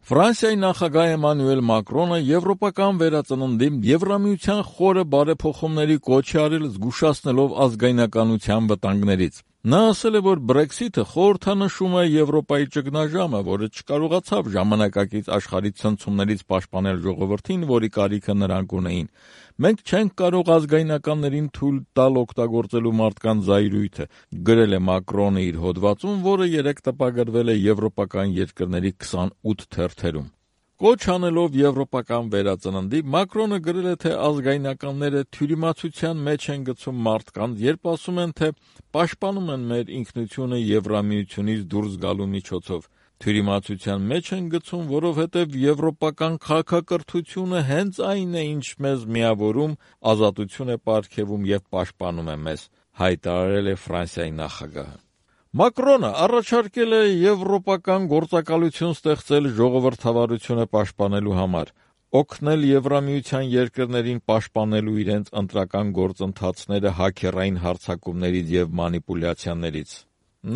Ֆրանսիայի նախագահ Էմանուել Մակրոնը եվրոպական վերածննդի Եվրամիության խորը բարեփոխումների կոչ է արել, զգուշացնելով ազգայնականության վտանգներից։ Նա ասել է, որ Brexit-ը խորհրդանշում է Եվրոպայի ճգնաժամը, որը չկարողացավ ժամանակակից աշխարհի ցնցումներից պաշտպանել ժողովրդին, որի կարիքը նրանք ունեին։ Մենք չենք կարող ազգայնականներին թույլ տալ օգտագործելու մարդկանց զայրույթը, գրել է Մակրոնը իր հոդվածում, որը երեկ տպագրվել է եվրոպական երկրների 28 թերթերում։ Կոչ անելով եվրոպական վերածննդի, Մակրոնը գրել է, թե ազգայնականները թյուրիմացության մեջ են գցում մարդկանց, երբ ասում են, թե պաշտպանում են մեր ինքնությունը Եվրամիությունից դուրս գալու միջոցով։ Թյուրիմացության մեջ են գցում, որովհետև եվրոպական քաղաքակրթությունը հենց այն է, ինչ մեզ միավորում, ազատություն է պարգևում և պաշտպանում է մեզ, հայտարարել է Ֆրանսիայի նախագահը։ Մակրոնը առաջարկել է եվրոպական գործակալություն ստեղծել ժողովրդավարությունը պաշտպանելու համար, օգնել Եվրամիության երկրներին պաշտպանելու իրենց ընտրական գործընթացները հաքերային հարձակումներից և մանիպուլյացիաներից։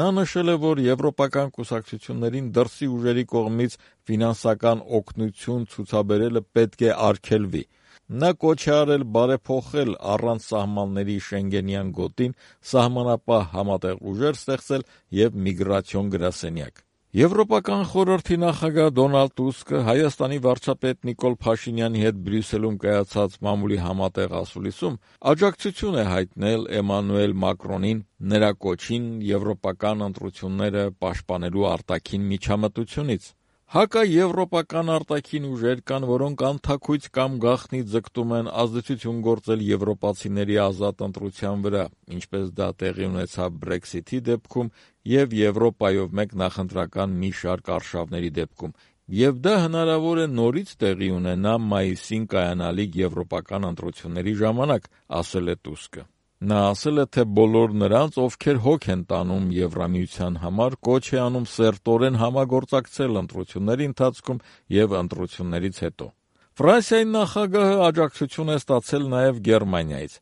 Նա նշել է, որ եվրոպական կուսակցություններին դրսի ուժերի կողմից ֆինանսական օգնություն ցուցաբերելը պետք է արգելվի։ Նա կոչ է արել բարեփոխել առանց սահմանների Շենգենյան գոտին, սահմանապահ համատեղ ուժեր ստեղծել և միգրացիոն գրասենյակ։ Եվրոպական խորհրդի նախագահ Դոնալդ Տուսկը Հայաստանի վարչապետ Նիկոլ Փաշինյանի հետ Բրյուսելում կայացած մամուլի համատեղ ասուլիսում աջակցություն է հայտնել Էմանուել Մակրոնին նրա կոչին եվրոպական ընտրությունները պաշտպանելու արտաքին միջամտությունից։ Հակաեվրոպական արտաքին ուժեր կան, որոնք անթաքույց կամ գաղտնի ձգտում են ազդեցություն գործել եվրոպացիների ազատ ընտրության վրա, ինչպես դա տեղի ունեցավ Brexit-ի դեպքում և Եվրոպայով մեկ նախընտրական մի շարք արշավների դեպքում, և դա հնարավոր է նորից տեղի ունենա մայիսին կայանալիք եվրոպական ընտրությունների ժամանակ, ասել է Տուսկը։ Նա ասել է, թե բոլոր նրանց, ովքեր հոգ են տանում Եվրամիության համար, կոչ է անում սերտորեն համագործակցել ընտրությունների ընթացքում և ընտրություններից հետո։ Ֆրանսիայի նախագահը աջակցություն է ստացել նաև Գերմանիայից։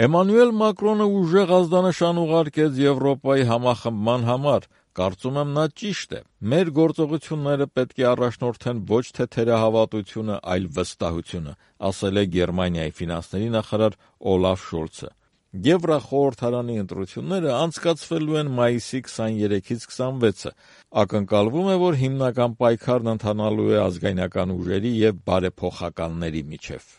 Էմանուել Մակրոնը ուժեղ ազդանշան ուղարկեց Եվրոպայի համախմբման համար։ Կարծում եմ, նա ճիշտ է։ Մեր գործողությունները պետք է առաջնորդեն ոչ թե թերահավատությունը, այլ վստահությունը, ասել է Գերմանիայի ֆինանսների նախարար Օլաֆ Շոլցը։ Եվրախորհրդարանի ընտրությունները անցկացվելու են մայիսի 23-ից 26-ը։ Ակնկալվում է, որ հիմնական պայքարն ընթանալու է ազգայնական ուժերի և բարեփոխականների միջև։